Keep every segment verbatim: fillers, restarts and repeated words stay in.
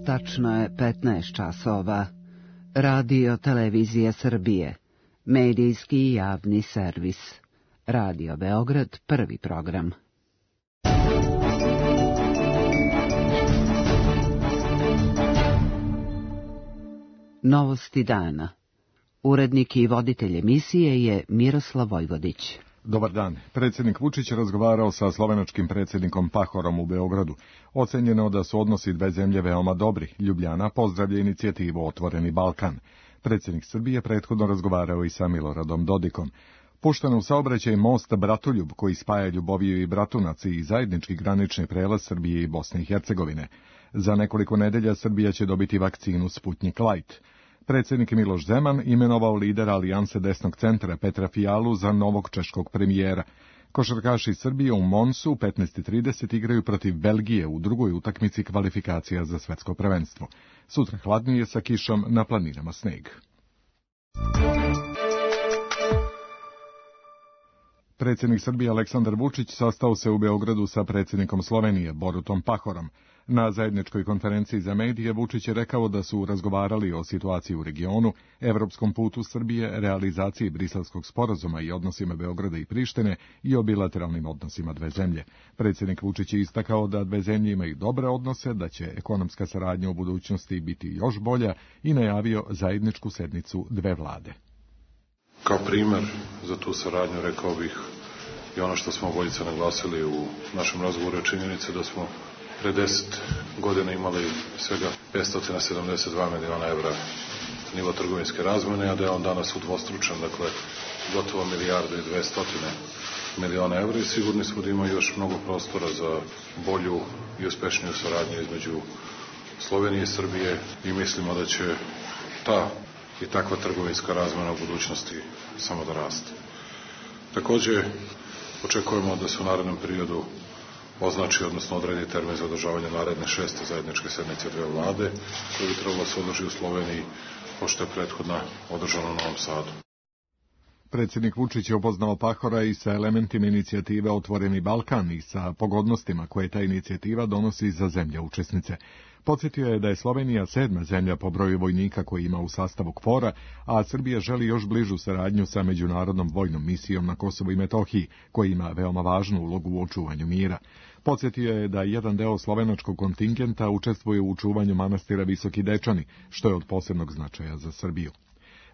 Tačno je petnaest časova. Radio Televizija Srbije. Medijski i javni servis. Radio Beograd, prvi program. Novosti dana. Urednik i voditelj emisije je Miroslav Vojvodić. Dobar dan. Predsjednik Vučić razgovarao sa slovenačkim predsjednikom Pahorom u Beogradu. Ocenjeno da su odnosi dve zemlje veoma dobri. Ljubljana pozdravlja inicijativu Otvoreni Balkan. Predsjednik Srbije prethodno razgovarao i sa Miloradom Dodikom. Pušten u saobraćaj most Bratoljub, koji spaja Ljuboviju i Bratunac i zajednički granični prelaz Srbije i Bosne i Hercegovine. Za nekoliko nedelja Srbija će dobiti vakcinu Sputnik Light. Predsjednik Miloš Zeman imenovao lidera Alijanse desnog centra Petra Fijalu za novog češkog premijera. Košarkaši Srbije u Monsu u petnaest i trideset igraju protiv Belgije u drugoj utakmici kvalifikacija za svetsko prvenstvo. Sutra hladnije sa kišom, na planinama sneg. Predsjednik Srbije Aleksandar Vučić sastao se u Beogradu sa predsjednikom Slovenije Borutom Pahorom. Na zajedničkoj konferenciji za medije Vučić je rekao da su razgovarali o situaciji u regionu, evropskom putu Srbije, realizaciji Briselskog sporazuma i odnosima Beograda i Prištine i o bilateralnim odnosima dve zemlje. Predsjednik Vučić je istakao da dve zemlje imaju dobre odnose, da će ekonomska saradnja u budućnosti biti još bolja i najavio zajedničku sednicu dve vlade. Kao primer za tu saradnju rekao bih i ono što smo obojica naglasili u našem razgovoru je činjenica da smo pre deset godina imali svega petsto sedamdeset dva miliona evra nivo trgovinske razmene, a da je on danas udvostručen, dakle gotovo milijardu i dvesta miliona evra i sigurni smo da ima još mnogo prostora za bolju i uspešniju saradnju između Slovenije i Srbije i mislimo da će ta i takva trgovinska razmena u budućnosti samo da raste. Takođe, očekujemo da se u narednom periodu označi, odnosno odredi termin za održavanje naredne šeste zajedničke sednice dve vlade, koje bi trebalo se održi u Sloveniji, pošto je prethodna održana u Novom Sadu. Predsjednik Vučić je upoznao Pahora i sa elementima inicijative Otvoreni Balkan i sa pogodnostima koje ta inicijativa donosi za zemlje učesnice. Podsjetio je da je Slovenija sedma zemlja po broju vojnika koji ima u sastavu KFOR-a, a Srbija želi još bližu saradnju sa međunarodnom vojnom misijom na Kosovu i Metohiji, koja ima veoma važnu ulogu u očuvanju mira. Podsjetio je da jedan deo slovenačkog kontingenta učestvuje u očuvanju manastira Visoki Dečani, što je od posebnog značaja za Srbiju.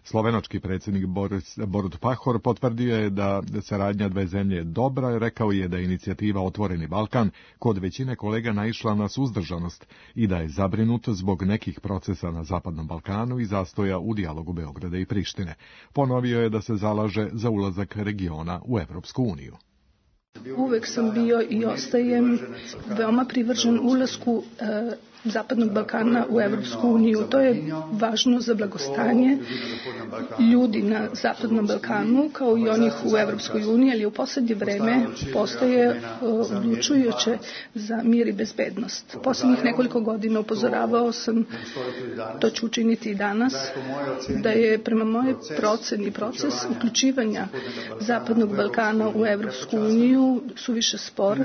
Slovenački predsjednik Boris, Borut Pahor potvrdio je da saradnja dve zemlje je dobra, rekao je da je inicijativa Otvoreni Balkan kod većine kolega naišla na suzdržanost i da je zabrinut zbog nekih procesa na Zapadnom Balkanu i zastoja u dijalogu Beograda i Prištine. Ponovio je da se zalaže za ulazak regiona u Evropsku uniju. Uvek sam bio i ostajem veoma privržen ulasku e, Zapadnog Balkana u Evropsku uniju. To je važno za blagostanje ljudi na Zapadnom Balkanu, kao i onih u Evropskoj uniji, ali u poslednje vreme postaje odlučujuće za mir i bezbednost. Poslednjih nekoliko godina upozoravao sam, to ću učiniti i danas, da je prema mojoj proceni proces uključivanja Zapadnog Balkana u Evropsku uniju suviše spor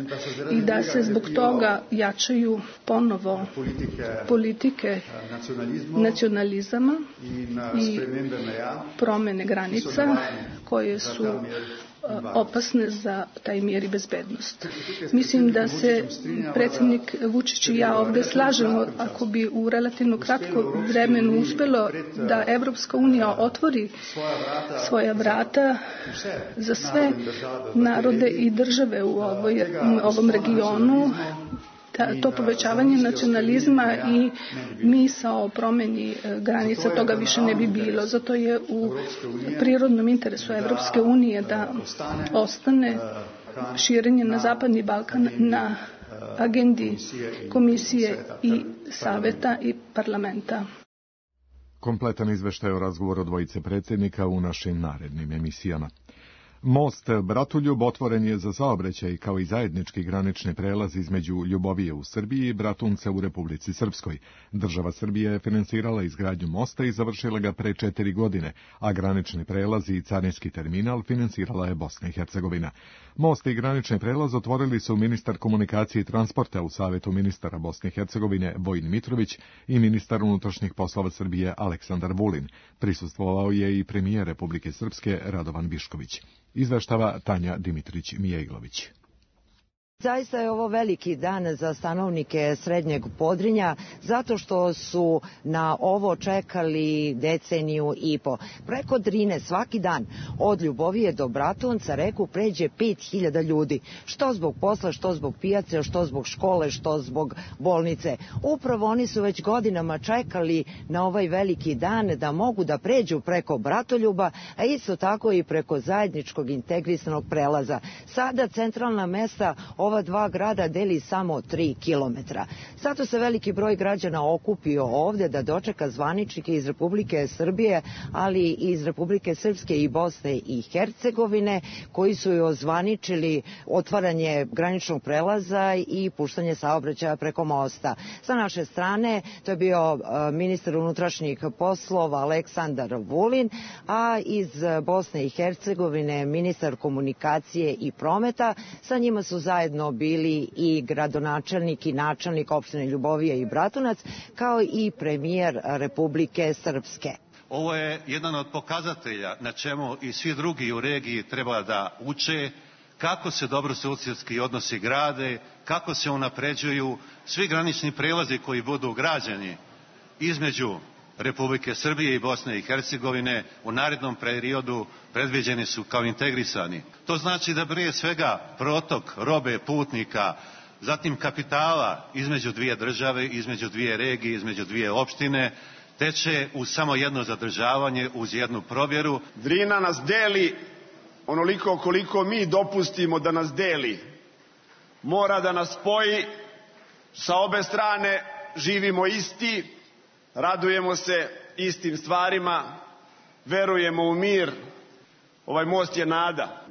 i da se zbog toga jačaju ponovo politike nacionalizama i promene granica koje su opasne za taj mir i bezbednost. Mislim da se predsjednik Vučić i ja ovde slažemo ako bi u relativno kratko vremenu uspelo da Evropska unija otvori svoja vrata za sve narode i države u ovoj, ovom regionu, to povećavanje nacionalizma i misao o promeni granica, toga više ne bi bilo. Zato je u prirodnom interesu Evropske unije da ostane širenje na Zapadni Balkan na agendi Komisije i Saveta i Parlamenta. Kompletan izveštaj o razgovoru dvojice predsjednika u našim narednim emisijama. Most Bratoljub otvoren je za saobraćaj kao i zajednički granični prelaz između Ljubovije u Srbiji i Bratunca u Republici Srpskoj. Država Srbija je finansirala izgradnju mosta i završila ga pre četiri godine, a granični prelaz i carinski terminal finansirala je Bosna i Hercegovina. Most i granični prelaz otvorili su ministar komunikacije i transporta u Savetu ministara Bosne i Hercegovine Vojin Mitrović i ministar unutrašnjih poslova Srbije Aleksandar Vulin. Prisustvovao je i premijer Republike Srpske Radovan Višković. Izveštava Tanja Dimitrić-Mijeglović. Zaista je ovo veliki dan za stanovnike Srednjeg Podrinja, zato što su na ovo čekali deceniju i po. Preko Drine svaki dan od Ljubovije do Bratunca reku pređe pet hiljada ljudi, što zbog posla, što zbog pijace, što zbog škole, što zbog bolnice. Upravo oni su već godinama čekali na ovaj veliki dan da mogu da pređu preko Bratoljuba, a isto tako i preko zajedničkog integrisanog prelaza. Sada centralna mesta ova dva grada deli samo tri kilometra. Zato se veliki broj građana okupio ovde da dočeka zvaničnike iz Republike Srbije, ali i iz Republike Srpske i Bosne i Hercegovine, koji su joj ozvaničili otvaranje graničnog prelaza i puštanje saobraćaja preko mosta. Sa naše strane to je bio ministar unutrašnjih poslova Aleksandar Vulin, a iz Bosne i Hercegovine ministar komunikacije i prometa. Sa njima su zajedno bili i gradonačelnik i načelnik opštine Ljubovija i Bratunac, kao i premijer Republike Srpske. Ovo je jedan od pokazatelja na čemu i svi drugi u regiji treba da uče, kako se dobrosusjedski odnosi grade, kako se unapređuju svi granični prelazi koji budu građeni između Republike Srbije i Bosne i Hercegovine u narednom periodu predviđeni su kao integrisani. To znači da prije svega protok robe, putnika, zatim kapitala između dvije države, između dvije regije, između dvije opštine teče uz samo jedno zadržavanje, uz jednu provjeru. Drina nas deli onoliko koliko mi dopustimo da nas deli. Mora da nas spoji, sa obe strane živimo isti, radujemo se istim stvarima, verujemo u mir. Ovaj most je nada.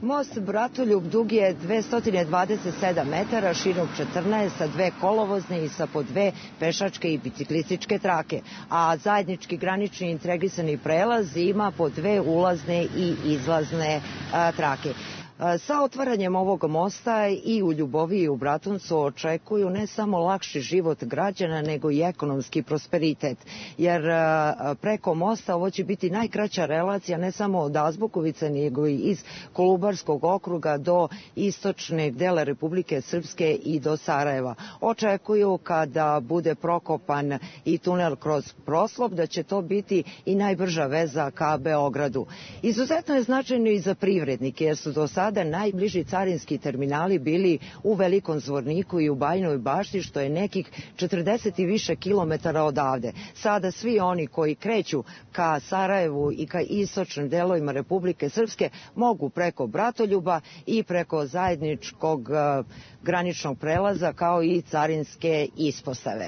Most Bratoljub dug je dvesta dvadeset sedam metara, širok četrnaest, sa dve kolovozne i sa po dve pešačke i biciklističke trake, a zajednički granični integrisani prelaz ima po dve ulazne i izlazne a, trake. Sa otvaranjem ovog mosta i u Ljuboviji i u Bratuncu očekuju ne samo lakši život građana, nego i ekonomski prosperitet. Jer preko mosta ovo će biti najkraća relacija ne samo od Azbukovice, nego i iz Kolubarskog okruga do istočne dela Republike Srpske i do Sarajeva. Očekuju kada bude prokopan i tunel kroz Proslop da će to biti i najbrža veza ka Beogradu. Izuzetno je značajno i za privrednike, jer su do sada Sada najbliži carinski terminali bili u Velikom Zvorniku i u Bajinoj Bašti, što je nekih četrdeset i više kilometara odavde. Sada svi oni koji kreću ka Sarajevu i ka istočnim delovima Republike Srpske mogu preko Bratoljuba i preko zajedničkog uh, graničnog prelaza, kao i carinske ispostave.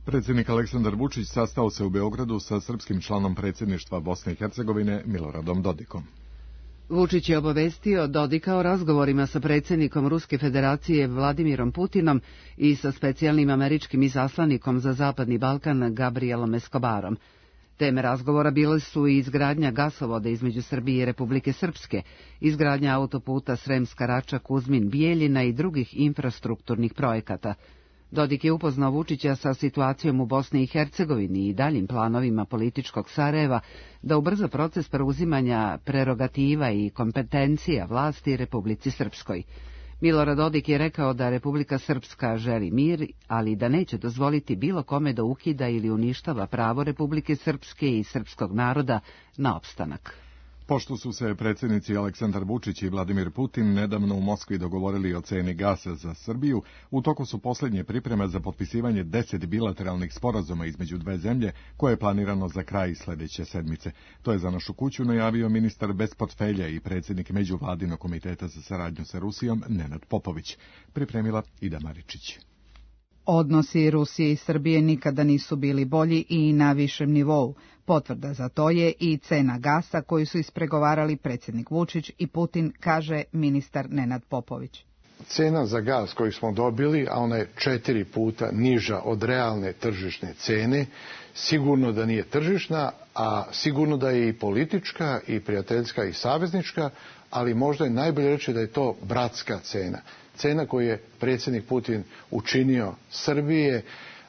Predsjednik Aleksandar Vučić sastao se u Beogradu sa srpskim članom predsjedništva Bosne i Hercegovine Miloradom Dodikom. Vučić je obavestio Dodika o razgovorima sa predsjednikom Ruske federacije Vladimirom Putinom i sa specijalnim američkim izaslanikom za Zapadni Balkan Gabrielom Escobarom. Teme razgovora bile su i izgradnja gasovoda između Srbije i Republike Srpske, izgradnja autoputa Sremska Rača-Kuzmin-Bijeljina i drugih infrastrukturnih projekata. Dodik je upoznao Vučića sa situacijom u Bosni i Hercegovini i daljim planovima političkog Sarajeva da ubrza proces preuzimanja prerogativa i kompetencija vlasti Republici Srpskoj. Milorad Dodik je rekao da Republika Srpska želi mir, ali da neće dozvoliti bilo kome da ukida ili uništava pravo Republike Srpske i srpskog naroda na opstanak. Pošto su se predsjednici Aleksandar Vučić i Vladimir Putin nedavno u Moskvi dogovorili o ceni gasa za Srbiju, u toku su posljednje pripreme za potpisivanje deset bilateralnih sporazuma između dve zemlje, koje je planirano za kraj sljedeće sedmice. To je za našu kuću najavio ministar bez portfelja i predsjednik Međuvladinog komiteta za saradnju sa Rusijom Nenad Popović. Pripremila Ida Maričić. Odnosi Rusije i Srbije nikada nisu bili bolji i na višem nivou. Potvrda za to je i cena gasa koju su ispregovarali predsjednik Vučić i Putin, kaže ministar Nenad Popović. Cena za gas koju smo dobili, a ona je četiri puta niža od realne tržišne cene, sigurno da nije tržišna, a sigurno da je i politička, i prijateljska, i saveznička, ali možda je najbolje reći da je to bratska cena. Cena koju je predsjednik Putin učinio Srbije,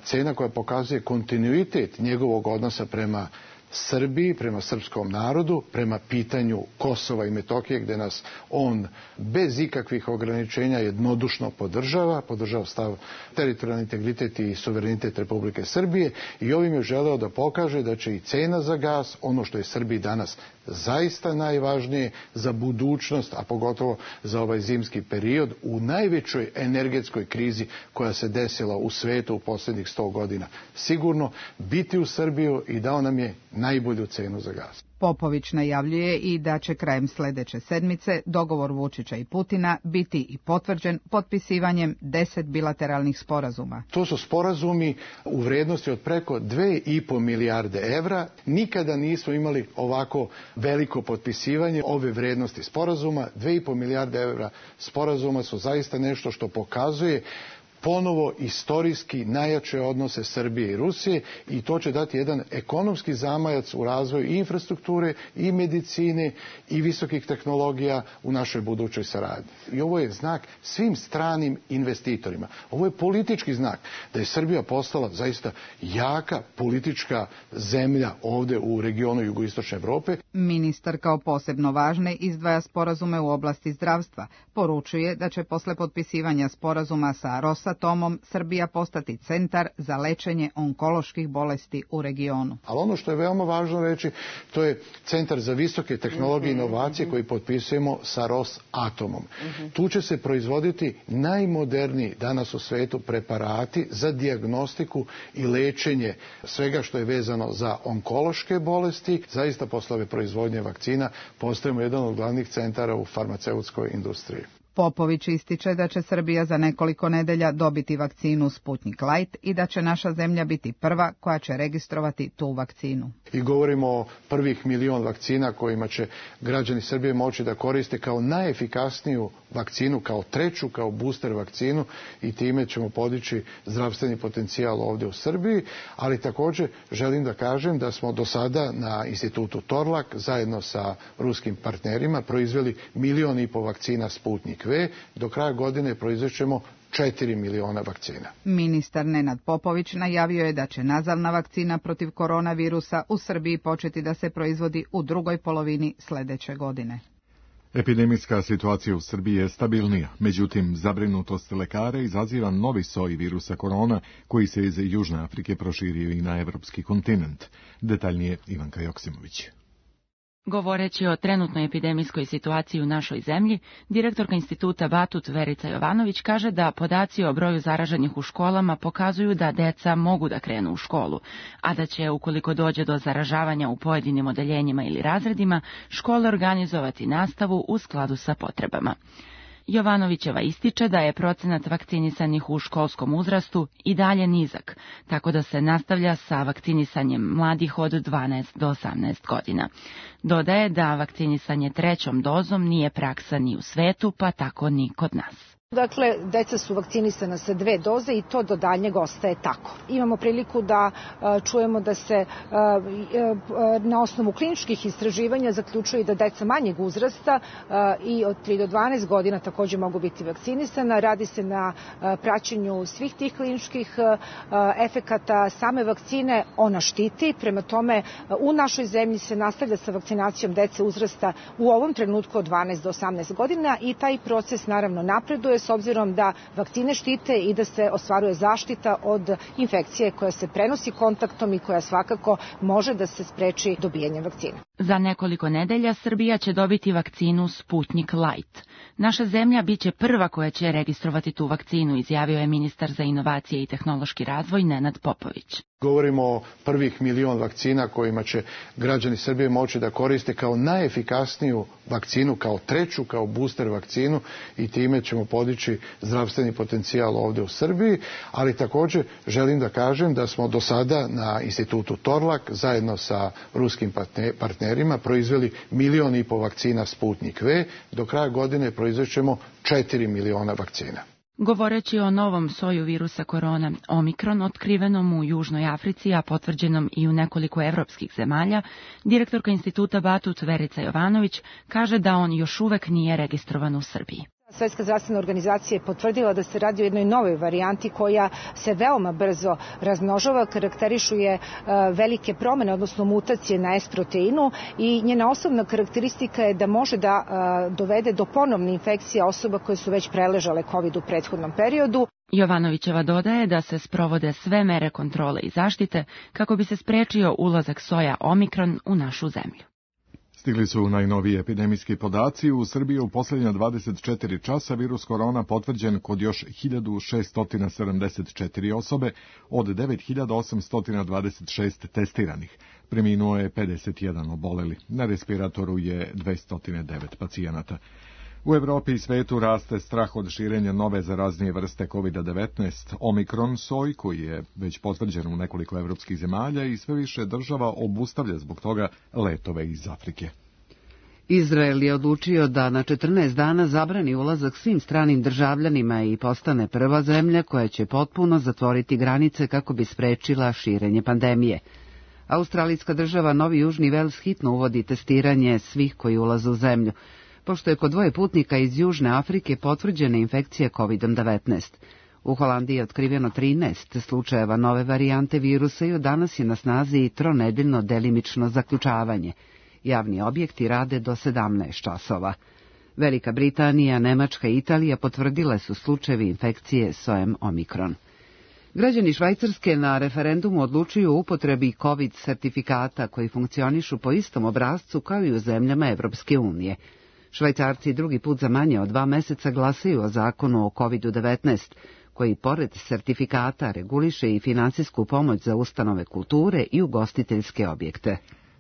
cena koja pokazuje kontinuitet njegovog odnosa prema Srbiji, prema srpskom narodu, prema pitanju Kosova i Metohije, gdje nas on bez ikakvih ograničenja jednodušno podržava, podržava stav teritorijalni integritet i suverenitet Republike Srbije, i ovim je želeo da pokaže da će i cena za gas, ono što je Srbiji danas zaista najvažnije za budućnost, a pogotovo za ovaj zimski period, u najvećoj energetskoj krizi koja se desila u svetu u posljednjih sto godina, sigurno biti u Srbiju, i dao nam je najbolju cenu za gas. Popović najavljuje i da će krajem sljedeće sedmice dogovor Vučića i Putina biti i potvrđen potpisivanjem deset bilateralnih sporazuma. To su sporazumi u vrijednosti od preko dve i po milijarde evra. Nikada nismo imali ovako veliko potpisivanje ove vrijednosti sporazuma. Dve i po milijarde evra sporazuma su zaista nešto što pokazuje ponovo istorijski najjače odnose Srbije i Rusije, i to će dati jedan ekonomski zamajac u razvoju i infrastrukture, i medicine, i visokih tehnologija u našoj budućoj saradnji. I ovo je znak svim stranim investitorima. Ovo je politički znak da je Srbija postala zaista jaka politička zemlja ovdje u regionu jugoistočne Evrope. Ministar kao posebno važne izdvaja sporazume u oblasti zdravstva. Poručuje da će posle potpisivanja sporazuma sa Rosatomom Srbija postati centar za lečenje onkoloških bolesti u regionu. Ali ono što je veoma važno reći, to je centar za visoke tehnologije i inovacije koji potpisujemo sa Rosatomom. Tu će se proizvoditi najmoderniji danas u svetu preparati za dijagnostiku i lečenje svega što je vezano za onkološke bolesti. Zaista posle ove proizvodnje vakcina postajemo jedan od glavnih centara u farmaceutskoj industriji. Popović ističe da će Srbija za nekoliko nedelja dobiti vakcinu Sputnik Light i da će naša zemlja biti prva koja će registrovati tu vakcinu. I govorimo o prvih milion vakcina kojima će građani Srbije moći da koriste kao najefikasniju vakcinu, kao treću, kao booster vakcinu, i time ćemo podići zdravstveni potencijal ovdje u Srbiji, ali također želim da kažem da smo do sada na institutu Torlak zajedno sa ruskim partnerima proizveli milion i po vakcina Sputnik V. Do kraja godine proizvećemo četiri miliona vakcina. Ministar Nenad Popović najavio je da će nazavna vakcina protiv koronavirusa u Srbiji početi da se proizvodi u drugoj polovini sljedeće godine. Epidemijska situacija u Srbiji je stabilnija, međutim zabrinutost lekara izaziva novi soj virusa korona koji se iz Južne Afrike proširio i na evropski kontinent. Detaljnije Ivanka Joksimović. Govoreći o trenutnoj epidemijskoj situaciji u našoj zemlji, direktorka instituta Batut Verica Jovanović kaže da podaci o broju zaraženih u školama pokazuju da deca mogu da krenu u školu, a da će, ukoliko dođe do zaražavanja u pojedinim odeljenjima ili razredima, škole organizovati nastavu u skladu sa potrebama. Jovanovićeva ističe da je procenat vakcinisanih u školskom uzrastu i dalje nizak, tako da se nastavlja sa vakcinisanjem mladih od dvanaest do osamnaest godina. Dodaje da vakcinisanje trećom dozom nije praksa ni u svetu, pa tako ni kod nas. Dakle, deca su vakcinisana sa dve doze i to do daljnjeg ostaje tako. Imamo priliku da a, čujemo da se a, a, na osnovu kliničkih istraživanja zaključuje da deca manjeg uzrasta a, i od tri do dvanaest godina također mogu biti vakcinisana. Radi se na a, praćenju svih tih kliničkih a, a, efekata same vakcine. Ona štiti, prema tome a, u našoj zemlji se nastavlja sa vakcinacijom dece uzrasta u ovom trenutku od dvanaest do osamnaest godina i taj proces naravno napreduje s obzirom da vakcine štite i da se ostvaruje zaštita od infekcije koja se prenosi kontaktom i koja svakako može da se spreči dobijanjem vakcine. Za nekoliko nedelja Srbija će dobiti vakcinu Sputnik Light. Naša zemlja biće prva koja će registrovati tu vakcinu, izjavio je ministar za inovacije i tehnološki razvoj Nenad Popović. Govorimo o prvih milion vakcina kojima će građani Srbije moći da koriste kao najefikasniju vakcinu, kao treću, kao booster vakcinu i time ćemo podići zdravstveni potencijal ovde u Srbiji, ali također želim da kažem da smo do sada na institutu Torlak zajedno sa ruskim partnerima proizveli milion i po vakcina Sputnik V, do kraja godine proizvećemo četiri miliona vakcina. Govoreći o novom soju virusa korona Omikron, otkrivenom u Južnoj Africi, a potvrđenom i u nekoliko evropskih zemalja, direktorka instituta Batut Verica Jovanović kaže da on još uvek nije registrovan u Srbiji. Svetska zdravstvena organizacija je potvrdila da se radi o jednoj novoj varijanti koja se veoma brzo razmnožava, karakterišu je velike promene, odnosno mutacije na S proteinu i njena osnovna karakteristika je da može da dovede do ponovne infekcije osoba koje su već preležale COVID u prethodnom periodu. Jovanovićeva dodaje da se sprovode sve mere kontrole i zaštite kako bi se sprečio ulazak soja Omikron u našu zemlju. Stigli su najnoviji epidemijski podaci. U Srbiji u posljednja dvadeset četiri časa virus korona potvrđen kod još hiljadu šesto sedamdeset četiri osobe od devet hiljada osamsto dvadeset šest testiranih. Preminuo je pedeset jedan oboleli. Na respiratoru je dvesta devet pacijenata. U Evropi i svetu raste strah od širenja nove zaraznije vrste kovid devetnaest, Omikron soj, koji je već potvrđen u nekoliko evropskih zemalja i sve više država obustavlja zbog toga letove iz Afrike. Izrael je odlučio da na četrnaest dana zabrani ulazak svim stranim državljanima i postane prva zemlja koja će potpuno zatvoriti granice kako bi sprečila širenje pandemije. Australijska država Novi Južni Vels hitno uvodi testiranje svih koji ulaze u zemlju, pošto je kod dvoje putnika iz Južne Afrike potvrđena infekcija kovid devetnaest. U Holandiji je otkriveno trinaest slučajeva nove varijante virusa i od danas je na snazi i tronedeljno delimično zaključavanje. Javni objekti rade do sedamnaest časova. Velika Britanija, Nemačka i Italija potvrdile su slučajevi infekcije sojem Omikron. Građani Švajcarske na referendumu odlučuju o upotrebi COVID sertifikata koji funkcionišu po istom obrascu kao i u zemljama Evropske unije. Švajcarci drugi put za manje od dva meseca glasaju o zakonu o kovid devetnaest, koji pored sertifikata reguliše i finansijsku pomoć za ustanove kulture i ugostiteljske objekte.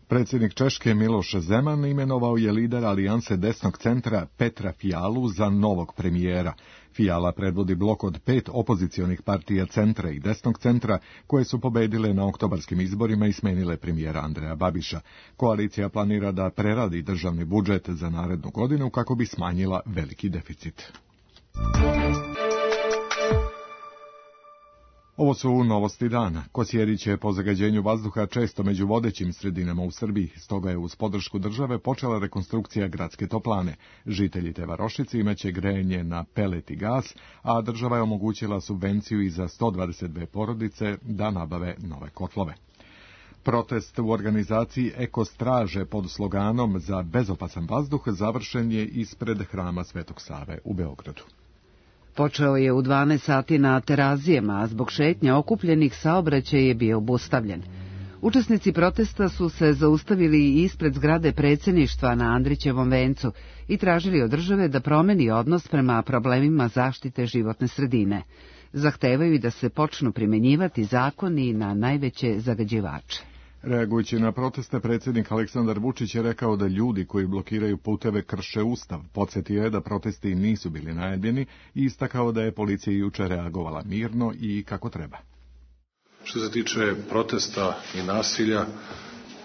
Predsjednik Češke Miloš Zeman imenovao je lidera Alijanse desnog centra Petra Fialu za novog premijera. Fiala predvodi blok od pet opozicionih partija centra i desnog centra koje su pobedile na oktobarskim izborima i smenile premijera Andreja Babiša. Koalicija planira da preradi državni budžet za narednu godinu kako bi smanjila veliki deficit. Ovo su novosti dana. Kosjerić je po zagađenju vazduha često među vodećim sredinama u Srbiji, stoga je uz podršku države počela rekonstrukcija gradske toplane. Žitelji te varošice imaće grejanje na pelet i gas, a država je omogućila subvenciju i za sto dvadeset dve porodice da nabave nove kotlove. Protest u organizaciji Eko Straže pod sloganom za bezopasan vazduh završen je ispred hrama Svetog Save u Beogradu. Počeo je u dvanaest sati na Terazijama, a zbog šetnja okupljenih saobraćaj je bio obustavljen. Učesnici protesta su se zaustavili ispred zgrade predsjedništva na Andrićevom vencu i tražili od države da promeni odnos prema problemima zaštite životne sredine. Zahtevaju i da se počnu primjenjivati zakoni na najveće zagađivače. Reagujući na proteste, predsjednik Aleksandar Vučić je rekao da ljudi koji blokiraju puteve krše Ustav. Podsjetio je da protesti nisu bili najavljeni i istakao da je policija jučer reagovala mirno i kako treba. Što se tiče protesta i nasilja,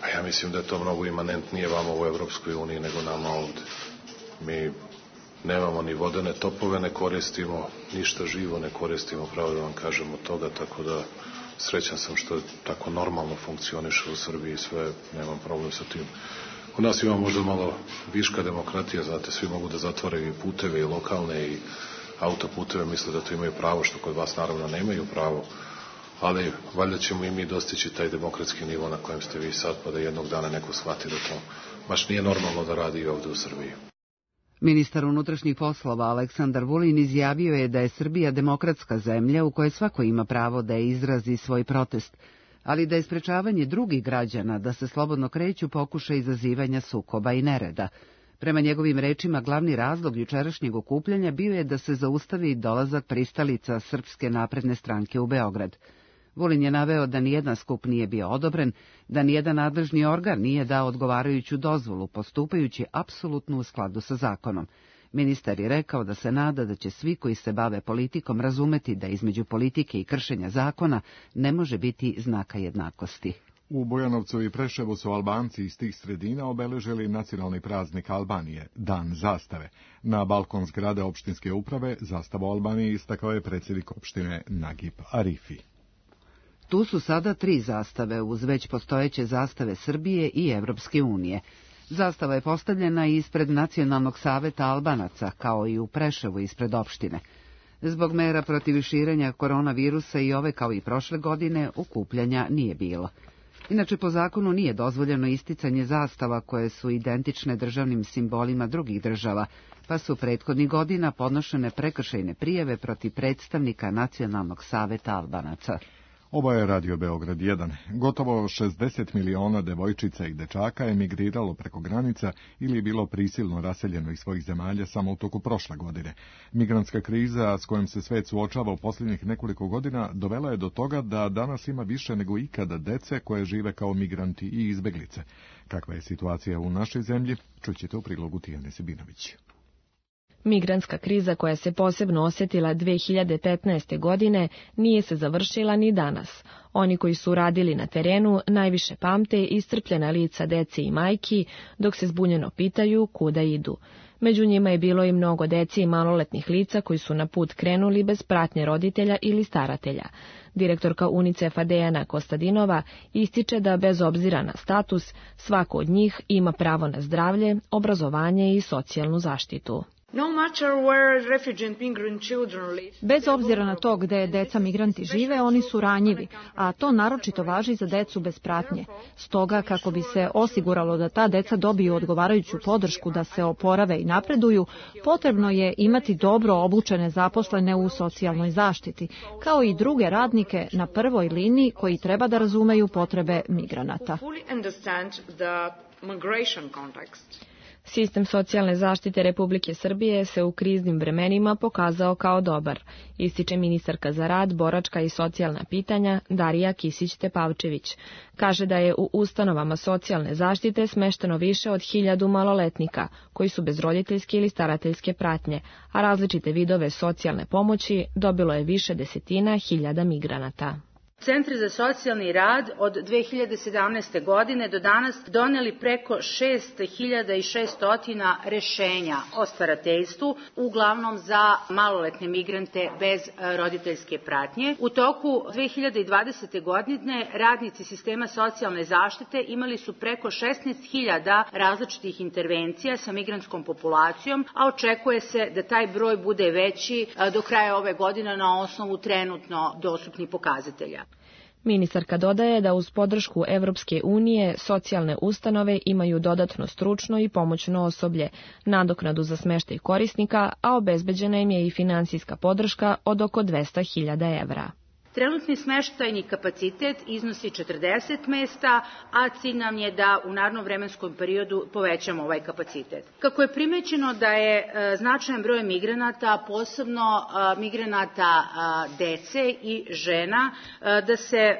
a ja mislim da je to mnogo imanentnije vama u Evropskoj uniji nego nama ovde. Mi nemamo ni vodene topove, ne koristimo ništa živo, ne koristimo, pravo da vam kažemo toga, tako da srećan sam što tako normalno funkcioniše u Srbiji, sve, nemam problem sa tim. U nas ima možda malo viška demokratija, znate, svi mogu da zatvore i puteve i lokalne i autoputeve, misle da to imaju pravo, što kod vas naravno nemaju pravo, ali valjda ćemo i mi dostići taj demokratski nivo na kojem ste vi sad, pa da jednog dana neko shvati da to baš nije normalno da radi i ovde u Srbiji. Ministar unutrašnjih poslova Aleksandar Vulin izjavio je da je Srbija demokratska zemlja u kojoj svako ima pravo da izrazi svoj protest. ali da je sprečavanje drugih građana da se slobodno kreću pokušaj izazivanja sukoba i nereda. Prema njegovim rečima, glavni razlog jučerašnjeg okupljanja bio je da se zaustavi dolazak pristalica Srpske napredne stranke u Beograd. Vulin je naveo da nijedan skup nije bio odobren, da nijedan nadležni organ nije dao odgovarajuću dozvolu, postupajući apsolutno u skladu sa zakonom. Ministar je rekao da se nada da će svi koji se bave politikom razumeti da između politike i kršenja zakona ne može biti znaka jednakosti. U Bujanovcu i Preševu su Albanci iz tih sredina obeležili nacionalni praznik Albanije, Dan zastave. Na balkon zgrade opštinske uprave zastavu Albanije istakao je predsjednik opštine Nagib Arifi. Tu su sada tri zastave uz već postojeće zastave Srbije i Evropske unije. Zastava je postavljena ispred Nacionalnog saveta Albanaca, kao i u Preševu ispred opštine. Zbog mera protiv širenja koronavirusa i ove kao i prošle godine okupljanja nije bilo. Inače, po zakonu nije dozvoljeno isticanje zastava koje su identične državnim simbolima drugih država, pa su prethodnih godina podnošene prekršajne prijave protiv predstavnika Nacionalnog saveta Albanaca. Ovo je Radio Beograd jedan. Gotovo šezdeset miliona devojčica i dečaka emigriralo preko granica ili je bilo prisilno raseljeno iz svojih zemalja samo u toku prošle godine. Migrantska kriza s kojom se svet suočava u posljednjih nekoliko godina dovela je do toga da danas ima više nego ikada dece koje žive kao migranti i izbeglice. Kakva je situacija u našoj zemlji, čućete u prilogu Tijane Sebinović. Migrantska kriza koja se posebno osjetila dve hiljade petnaeste. godine nije se završila ni danas. Oni koji su radili na terenu najviše pamte iscrpljena lica dece i majki, dok se zbunjeno pitaju kuda idu. Među njima je bilo i mnogo dece i maloletnih lica koji su na put krenuli bez pratnje roditelja ili staratelja. Direktorka UNICEF-a Dejana Kostadinova ističe da bez obzira na status, svako od njih ima pravo na zdravlje, obrazovanje i socijalnu zaštitu. Bez obzira na to gde deca migranti žive, oni su ranjivi, a to naročito važi za decu bez pratnje. Stoga, kako bi se osiguralo da ta deca dobiju odgovarajuću podršku da se oporave i napreduju, potrebno je imati dobro obučene zaposlene u socijalnoj zaštiti, kao i druge radnike na prvoj liniji koji treba da razumeju potrebe migranata. Sistem socijalne zaštite Republike Srbije se u kriznim vremenima pokazao kao dobar, ističe ministarka za rad, boračka i socijalna pitanja Darija Kisić-Tepavčević. Kaže da je u ustanovama socijalne zaštite smešteno više od hiljadu maloletnika koji su bez roditeljske ili starateljske pratnje, a različite vidove socijalne pomoći dobilo je više desetina hiljada migranata. Centri za socijalni rad od dve hiljade sedamnaeste. godine do danas doneli preko šest hiljada šesto rešenja o starateljstvu, uglavnom za maloletne migrante bez roditeljske pratnje. U toku dve hiljade dvadesete. godine radnici sistema socijalne zaštite imali su preko šesnaest hiljada različitih intervencija sa migrantskom populacijom, a očekuje se da taj broj bude veći do kraja ove godine na osnovu trenutno dostupnih pokazatelja. Ministarka dodaje da uz podršku Evropske unije socijalne ustanove imaju dodatno stručno i pomoćno osoblje, nadoknadu za smeštaj korisnika, a obezbeđena im je i finansijska podrška od oko dvesta hiljada evra. Trenutni smeštajni kapacitet iznosi četrdeset mesta, a cilj nam je da u narednom vremenskom periodu povećamo ovaj kapacitet. Kako je primećeno da je e, značajan broj migranata, posebno e, migranata e, dece i žena, e, da se e,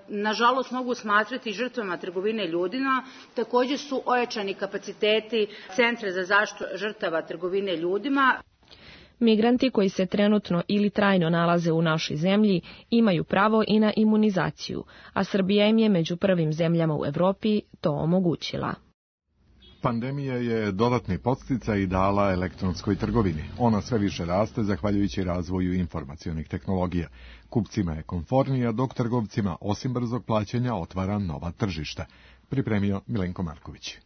nažalost mogu smatrati žrtvama trgovine ljudima, također su ojačani kapaciteti Centra za zaštitu žrtava trgovine ljudima. Migranti koji se trenutno ili trajno nalaze u našoj zemlji imaju pravo i na imunizaciju, a Srbija im je među prvim zemljama u Evropi to omogućila. Pandemija je dodatni podsticaj dala elektronskoj trgovini. Ona sve više raste zahvaljujući razvoju informacionih tehnologija. Kupcima je komfornija, dok trgovcima osim brzog plaćanja otvara nova tržišta. Pripremio Milenko Marković.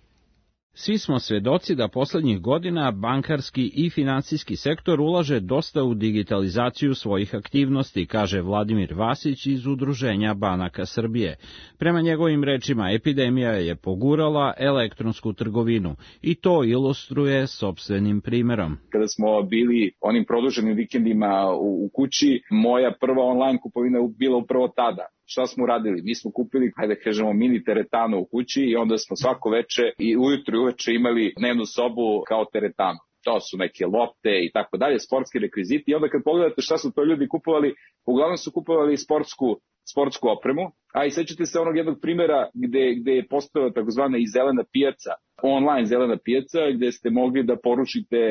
Svi smo svedoci da poslednjih godina bankarski i finansijski sektor ulaže dosta u digitalizaciju svojih aktivnosti, kaže Vladimir Vasić iz Udruženja banaka Srbije. Prema njegovim rečima, epidemija je pogurala elektronsku trgovinu i to ilustruje sopstvenim primerom. Kada smo bili onim produženim vikendima u kući, moja prva online kupovina bila upravo tada. Šta smo uradili? Mi smo kupili, hajde da kažemo, mini teretanu u kući i onda smo svako veče i ujutru i uveče imali dnevnu sobu kao teretanu. To su neke lopte i tako dalje, sportski rekviziti. I onda kad pogledate šta su to ljudi kupovali, uglavnom su kupovali sportsku, sportsku opremu. A i sećate se onog jednog primjera gde, gde je postojala takozvana i zelena pijaca, online zelena pijaca, gde ste mogli da poručite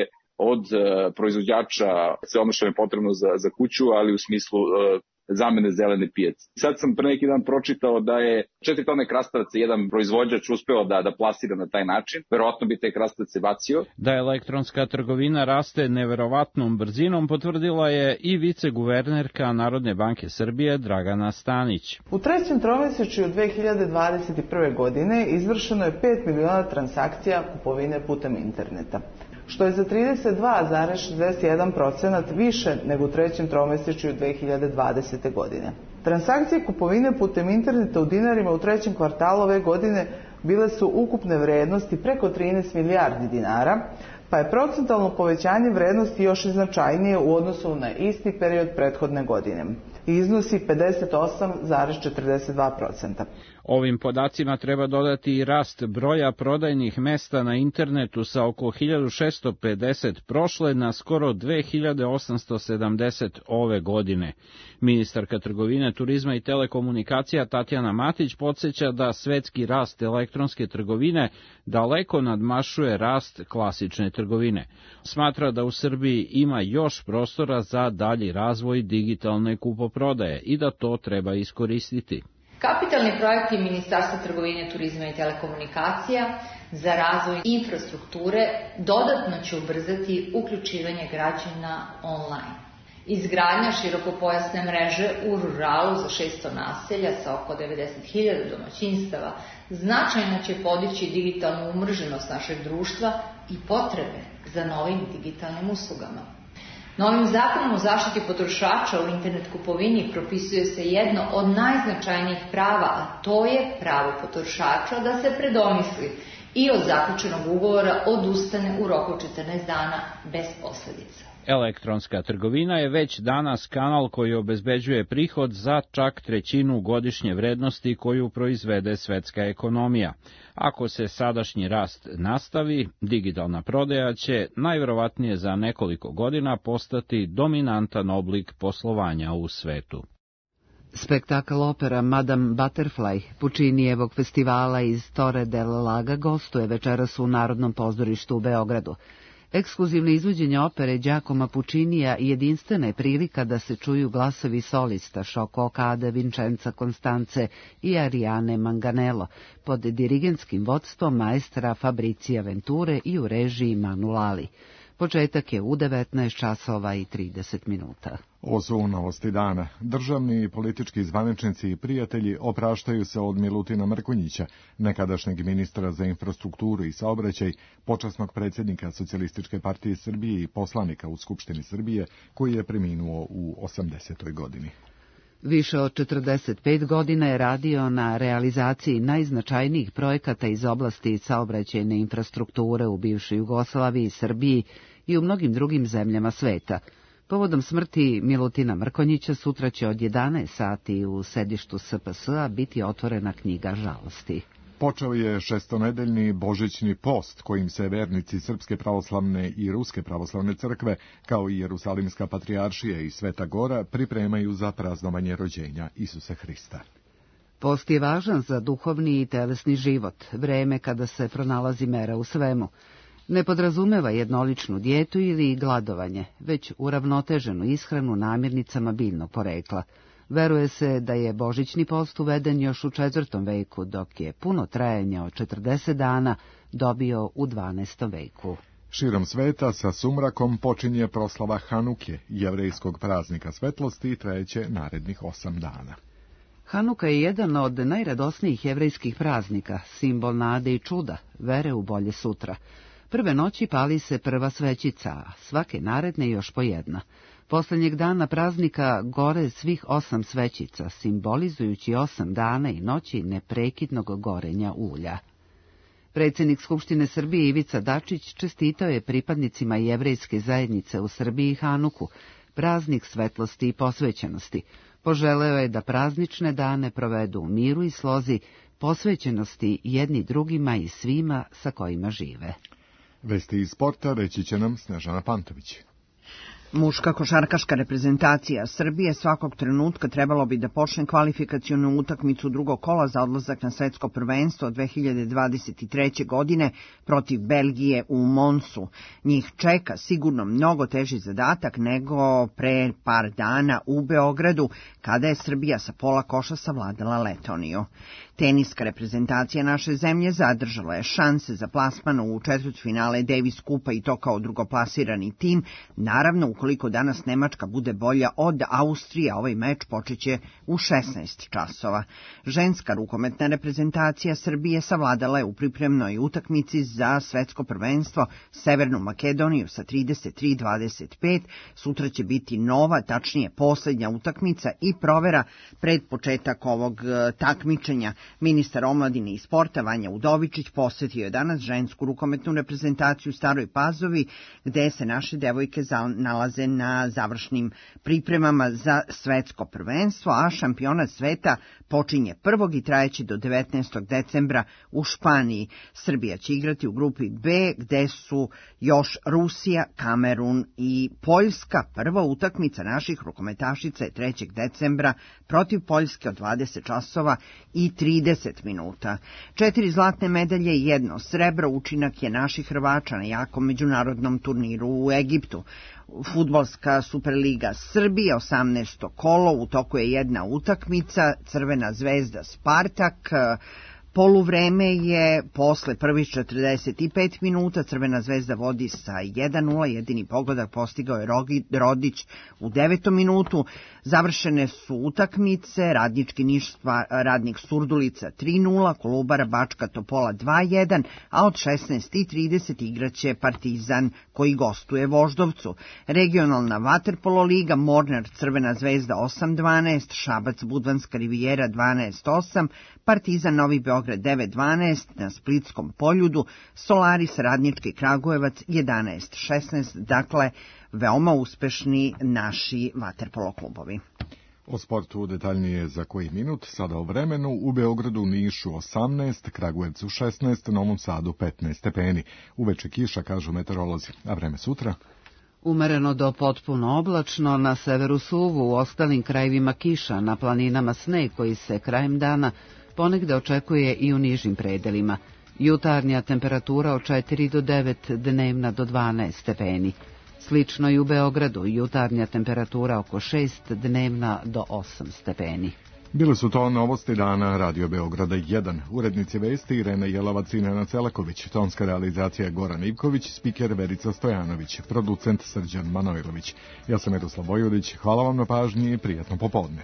od uh, proizvođača sve ono što je potrebno za, za kuću, ali u smislu uh, zamene zelene pijace. Sad sam pre neki dan pročitao da je četiri tone krastavaca jedan proizvođač uspeo da, da plasira na taj način. Verovatno bi te krastavce bacio. Da elektronska trgovina raste neverovatnom brzinom potvrdila je i viceguvernerka Narodne banke Srbije Dragana Stanić. U trećem tromesečju dve hiljade dvadeset prve. godine izvršeno je pet miliona transakcija kupovine putem interneta, što je za trideset dva zarez šezdeset jedan procenat više nego u trećem tromesečju dve hiljade dvadesete. godine. Transakcije kupovine putem interneta u dinarima u trećem kvartalu ove godine bile su ukupne vrednosti preko trinaest milijardi dinara, pa je procentalno povećanje vrednosti još i značajnije u odnosu na isti period prethodne godine i iznosi pedeset osam zarez četrdeset dva procenta. Ovim podacima treba dodati i rast broja prodajnih mesta na internetu sa oko hiljadu šessto pedeset prošle na skoro dve hiljade osamsto sedamdeset ove godine. Ministarka trgovine, turizma i telekomunikacija Tatjana Matić podsjeća da svetski rast elektronske trgovine daleko nadmašuje rast klasične trgovine. Smatra da u Srbiji ima još prostora za dalji razvoj digitalne kupoprodaje i da to treba iskoristiti. Kapitalni projekti Ministarstva trgovine, turizma i telekomunikacija za razvoj infrastrukture dodatno će ubrzati uključivanje građana online. Izgradnja širokopojasne mreže u ruralu za šesto naselja sa oko devedeset hiljada domaćinstava značajno će podići digitalnu umreženost našeg društva i potrebe za novim digitalnim uslugama. Novim zakonom o zaštiti potrošača u internet kupovini propisuje se jedno od najznačajnijih prava, a to je pravo potrošača da se predomisli i od zaključenog ugovora odustane u roku četrnaest dana bez posledica. Elektronska trgovina je već danas kanal koji obezbeđuje prihod za čak trećinu godišnje vrednosti koju proizvede svetska ekonomija. Ako se sadašnji rast nastavi, digitalna prodaja će najverovatnije za nekoliko godina postati dominantan oblik poslovanja u svetu. Spektakl opera Madame Butterfly Pučinijevog festivala iz Torre del Laga gostuje večeras u Narodnom pozorištu u Beogradu. Ekskluzivno izvođenje opere Giacomo Pučinija jedinstvena je prilika da se čuju glasovi solista Šoko Okade, Vincenza Constance i Ariane Manganello pod dirigentskim vodstvom maestra Fabricija Venture i u režiji Manu Lali. Početak je u devetnaest časova i trideset minuta. Ovo su novosti dana. Državni i politički zvaničnici i prijatelji opraštaju se od Milutina Mrkonjića, nekadašnjeg ministra za infrastrukturu i saobraćaj, počasnog predsjednika Socijalističke partije Srbije i poslanika u Skupštini Srbije, koji je preminuo u osamdesetoj godini. Više od četrdeset pet godina je radio na realizaciji najznačajnijih projekata iz oblasti saobraćajne infrastrukture u bivšoj Jugoslaviji, Srbiji i u mnogim drugim zemljama sveta. Povodom smrti Milutina Mrkonjića sutra će od jedanaest sati u sedištu S P S-a biti otvorena knjiga žalosti. Počeo je šestonedeljni božićni post kojim se vernici Srpske pravoslavne i Ruske pravoslavne crkve, kao i Jerusalimska patrijaršija i Sveta Gora, pripremaju za praznovanje rođenja Isusa Hrista. Post je važan za duhovni i telesni život, vreme kada se pronalazi mera u svemu. Ne podrazumeva jednoličnu dijetu ili gladovanje, već uravnoteženu ishranu namirnicama biljnog porekla. Veruje se da je božićni post uveden još u četvrtom veku, dok je puno trajanja od četrdeset dana dobio u dvanaestom veku. Širom sveta sa sumrakom počinje proslava Hanuke, jevrejskog praznika svetlosti, i trajeće narednih osam dana. Hanuka je jedan od najradosnijih jevrejskih praznika, simbol nade i čuda, vere u bolje sutra. Prve noći pali se prva svećica, a svake naredne još po jedna. Poslednjeg dana praznika gore svih osam svećica, simbolizujući osam dana i noći neprekidnog gorenja ulja. Predsjednik Skupštine Srbije Ivica Dačić čestitao je pripadnicima jevrejske zajednice u Srbiji Hanuku, praznik svetlosti i posvećenosti. Poželeo je da praznične dane provedu u miru i slozi, posvećenosti jedni drugima i svima sa kojima žive. Vesti iz sporta reći će nam Snežana Pantović. Muška košarkaška reprezentacija Srbije svakog trenutka trebalo bi da počne kvalifikacionu utakmicu drugog kola za odlazak na svetsko prvenstvo dve hiljade dvadeset treće. godine protiv Belgije u Monsu. Njih čeka sigurno mnogo teži zadatak nego pre par dana u Beogradu, kada je Srbija sa pola koša savladala Letoniju. Teniska reprezentacija naše zemlje zadržala je šanse za plasman u četvrtfinale Davis Kupa i to kao drugoplasirani tim. Naravno, ukoliko danas Nemačka bude bolja od Austrije, ovaj meč počeće u šesnaest časova. Ženska rukometna reprezentacija Srbije savladala je u pripremnoj utakmici za svetsko prvenstvo Severnu Makedoniju sa trideset tri dvadeset pet. Sutra će biti nova, tačnije poslednja utakmica i provera pred početak ovog takmičenja. Ministar omladine i sporta Vanja Udovičić posetio je danas žensku rukometnu reprezentaciju u Staroj Pazovi, gde se naše devojke nalaze na završnim pripremama za svetsko prvenstvo, a šampionat sveta počinje prvog i trajeće do devetnaestog decembra u Španiji. Srbija će igrati u grupi B, gde su još Rusija, Kamerun i Poljska. Prva utakmica naših rukometašica je trećeg decembra protiv Poljske od dvadeset časova i trideset minuta. Četiri zlatne medalje i jedno srebro učinak je naših Hrvača na jakom međunarodnom turniru u Egiptu. Fudbalska Superliga Srbije, osamnaesto kolo, u toku je jedna utakmica, Crvena zvezda Spartak. Poluvreme je posle prvih četrdeset pet minuta, Crvena zvezda vodi sa jedan nula, jedini pogodak postigao je Rodić u devetom minutu. Završene su utakmice, Radnički Niš Radnik Surdulica tri nula, Kolubara Bačka Topola dva jedan, a od šesnaest i trideset igraće Partizan koji gostuje Voždovcu. Regionalna vaterpolo liga, Mornar Crvena zvezda osam dvanaest, Šabac Budvanska Rivijera dvanaest osam, Partizan Novi Beograd devet dvanaest, na Splitskom Poljudu Solaris Radnički Kragujevac jedanaest šesnaest, dakle veoma uspešni naši vaterpolo klubovi. O sportu detaljnije za koji minut, sada o vremenu. U Beogradu, Nišu osamnaest, Kragujevcu šesnaest, Novom Sadu petnaest stepeni. Uveče kiša, kažu meteorolozi, a vreme sutra? Umereno do potpuno oblačno, na severu suvu, u ostalim krajevima kiša, na planinama sneg koji se krajem dana ponegde očekuje i u nižim predelima. Jutarnja temperatura od četiri do devet, dnevna do dvanaest stepeni. Slično i u Beogradu, jutarnja temperatura oko šest, dnevna do osam stepeni. Bile su to novosti dana Radio Beograda jedan. Urednici vesti Irena Jelovac i Nenad Celaković, tonska realizacija Goran Ivković, spiker Verica Stojanović, producent Srđan Manojlović. Ja sam Miroslav Vojvodić, hvala vam na pažnji i prijatno popodne.